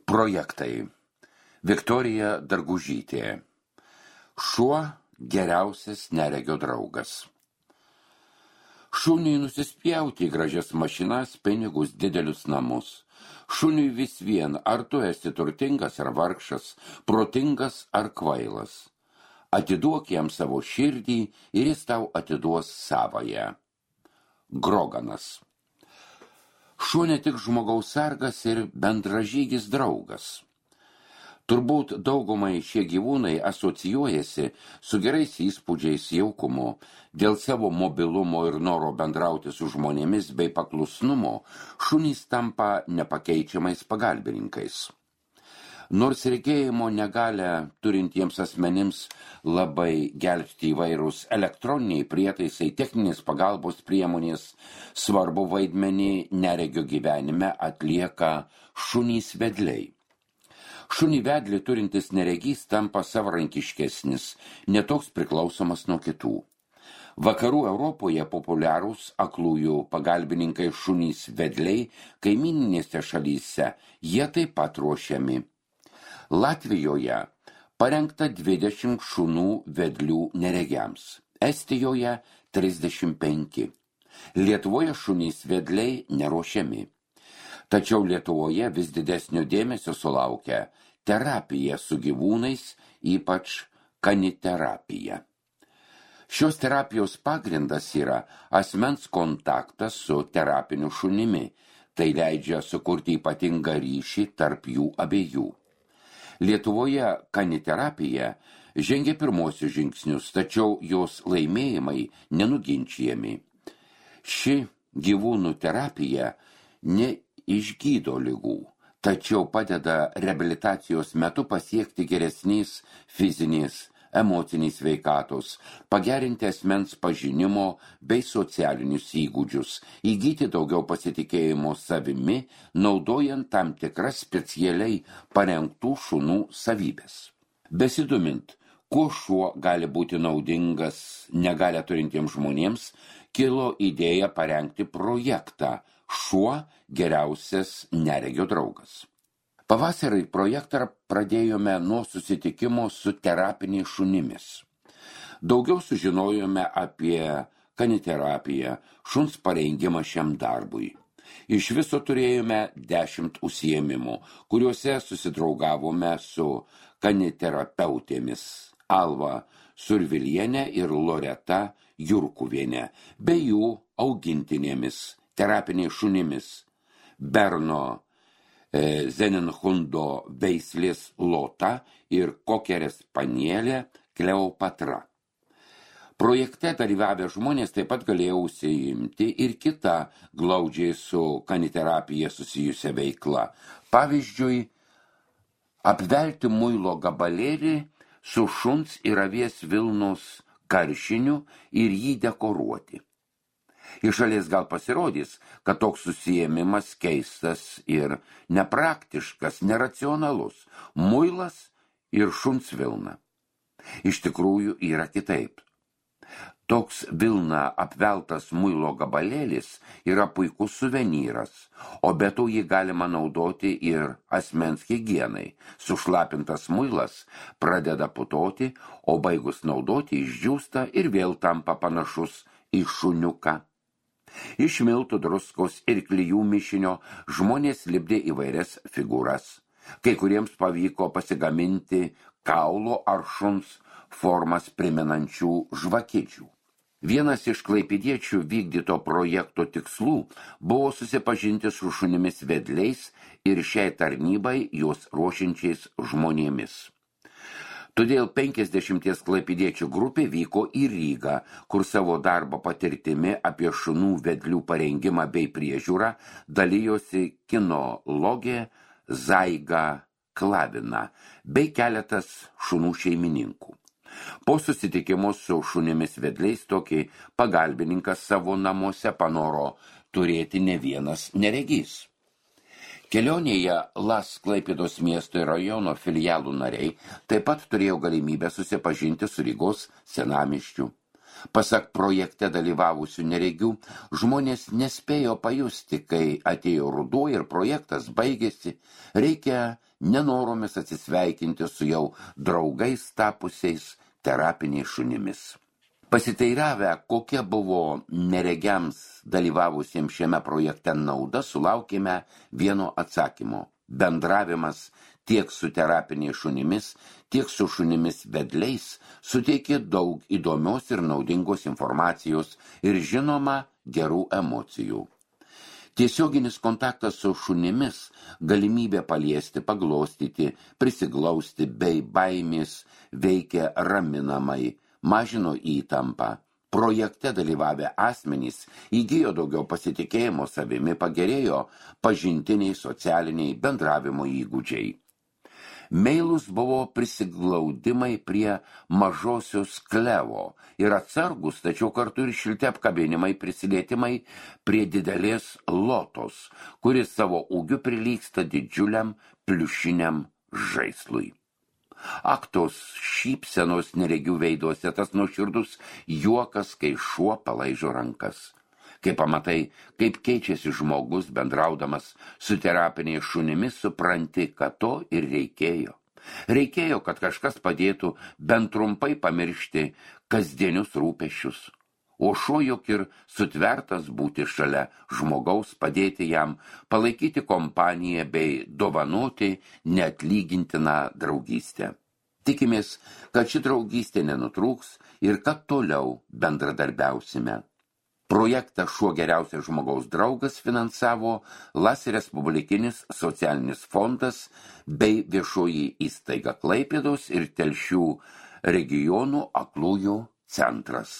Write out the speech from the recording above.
Projektai. Viktorija Dargužytė. Šuo geriausias neregio draugas. Šuniui nusispjauti į gražias mašinas, pinigus, didelius namus. Šuniui vis vien, ar tu esi turtingas ar vargšas, protingas ar kvailas. Atiduok jam savo širdį ir jis tau atiduos savąją. Groganas. Šuo ne tik žmogaus sargas ir bendražygis draugas. Turbūt daugumai šie gyvūnai asocijuojasi su gerais įspūdžiais, jaukumu, dėl savo mobilumo ir noro bendrauti su žmonėmis bei paklusnumo, šunys tampa nepakeičiamais pagalbininkais. Nors regėjimo negalią turintiems asmenims labai gelbsti įvairūs elektroniniai prietaisai, techninės pagalbos priemonės, svarbu vaidmenį neregio gyvenime atlieka šunys vedliai. Šunį vedlį turintis neregys tampa savarankiškesnis, netoks priklausomas nuo kitų. Vakarų Europoje populiarūs aklųjų pagalbininkai šunys vedliai, kaimyninėse šalyse jie taip pat ruošiami. Latvijoje parengta 20 šunų vedlių neregiams, Estijoje 35. Lietuvoje šunys vedliai neruošiami. Tačiau Lietuvoje vis didesnio dėmesio sulaukia terapija su gyvūnais, ypač kaniterapija. Šios terapijos pagrindas yra asmens kontaktas su terapiniu šunimi, tai leidžia sukurti ypatingą ryšį tarp jų abiejų. Lietuvoje kaniterapija žengia pirmosius žingsnius, tačiau jos laimėjimai nenuginčijami. Ši gyvūnų terapija neišgydo ligų, tačiau padeda reabilitacijos metu pasiekti geresnės fizinės, emocinės sveikatos, pagerinti asmens pažinimo bei socialinius įgūdžius, įgyti daugiau pasitikėjimo savimi, naudojant tam tikras specialiai parengtų šunų savybės. Besidomint, kuo šuo gali būti naudingas negalią turintiems žmonėms, kilo idėja parengti projektą Šuo geriausias neregio draugas. Pavasarį projektą pradėjome nuo susitikimo su terapiniais šunimis. Daugiau sužinojome apie kaniterapiją, šuns parengimą šiam darbui. Iš viso turėjome 10 užsiėmimų, kuriuose susidraugavome su kaniterapeutėmis Alva Survilienė ir Loreta Jurkuvienė, bei jų augintinėmis, terapiniais šunimis Berno Zeninhundo veislės Lota ir kokerės Spanielė Kleopatra. Projekte dalyvavę žmonės taip pat galėjo užsiimti ir kitą glaudžiai su kaniterapija susijusią veiklą. Pavyzdžiui, apvelti muilo gabalėlį su šuns ir avies vilnos karšiniu ir jį dekoruoti. Iš šalies gal pasirodys, kad toks susiėmimas keistas ir nepraktiškas, neracionalus, muilas ir šuns vilna. Iš tikrųjų yra kitaip. Toks vilna apveltas muilo gabalėlis yra puikus suvenyras, o be to jį galima naudoti ir asmens higienai. Sušlapintas muilas pradeda putoti, o baigus naudoti išdžiūsta ir vėl tampa panašus į šuniuką. Iš miltų, druskos ir klijų mišinio žmonės lipdė įvairias figūras. Kai kuriems pavyko pasigaminti kaulo ar šuns formas primenančių žvakidžių. Vienas iš klaipėdiečių vykdyto projekto tikslų buvo susipažinti su šunimis vedliais ir šiai tarnybai juos ruošiančiais žmonėmis. Todėl 50 klaipėdiečių grupė vyko į Rygą, kur savo darbo patirtimi apie šunų vedlių parengimą bei priežiūrą dalijosi kinologė Zaiga Klavina bei keletas šunų šeimininkų. Po susitikimo su šunimis vedliais tokį pagalbininką savo namuose panoro turėti ne vienas neregys. Kelionėje LAS Klaipėdos miesto ir rajono filialų nariai taip pat turėjo galimybę susipažinti su Rygos senamiesčiu. Pasak projekte dalyvavusių neregių, žmonės nespėjo pajusti, kai atėjo ruduo ir projektas baigėsi, reikia nenoromis atsisveikinti su jau draugais tapusiais terapiniais šunimis. Pasiteiravę, kokia buvo neregiams dalyvavusiems šiame projekte nauda, sulaukėme vieno atsakymo. Bendravimas tiek su terapiniais šunimis, tiek su šunimis vedliais suteikė daug įdomios ir naudingos informacijos ir žinoma gerų emocijų. Tiesioginis kontaktas su šunimis, galimybė paliesti, paglostyti, prisiglausti bei baimės veikia raminamai, mažino įtampą. Projekte dalyvavę asmenys įgijo daugiau pasitikėjimo savimi, pagerėjo pažintiniai, socialiniai bendravimo įgūdžiai. Meilus buvo prisiglaudimai prie mažosios Klevo ir atsargus, tačiau kartu ir šilti apkabinimai, prisilietimai prie didelės Lotos, kuris savo ūgiu prilygsta didžiuliam pliušiniam žaislui. Aktos šypsenos neregių veiduose, tas nuoširdus juokas, kai šuo palaižo rankas. Kai pamatai, kaip keičiasi žmogus bendraudamas su terapiniais šunimis, supranti, kad to ir reikėjo. Reikėjo, kad kažkas padėtų bent trumpai pamiršti kasdienius rūpesčius. O šuo juk ir sutvertas būti šalia žmogaus, padėti jam, palaikyti kompaniją bei dovanoti neatlygintiną draugystę. Tikimės, kad ši draugystė nenutrūks ir kad toliau bendradarbiausime. Projektą Šuo geriausias žmogaus draugas finansavo LAS Respublikinis socialinis fondas bei viešoji įstaiga Klaipėdos ir Telšių regionų aklųjų centras.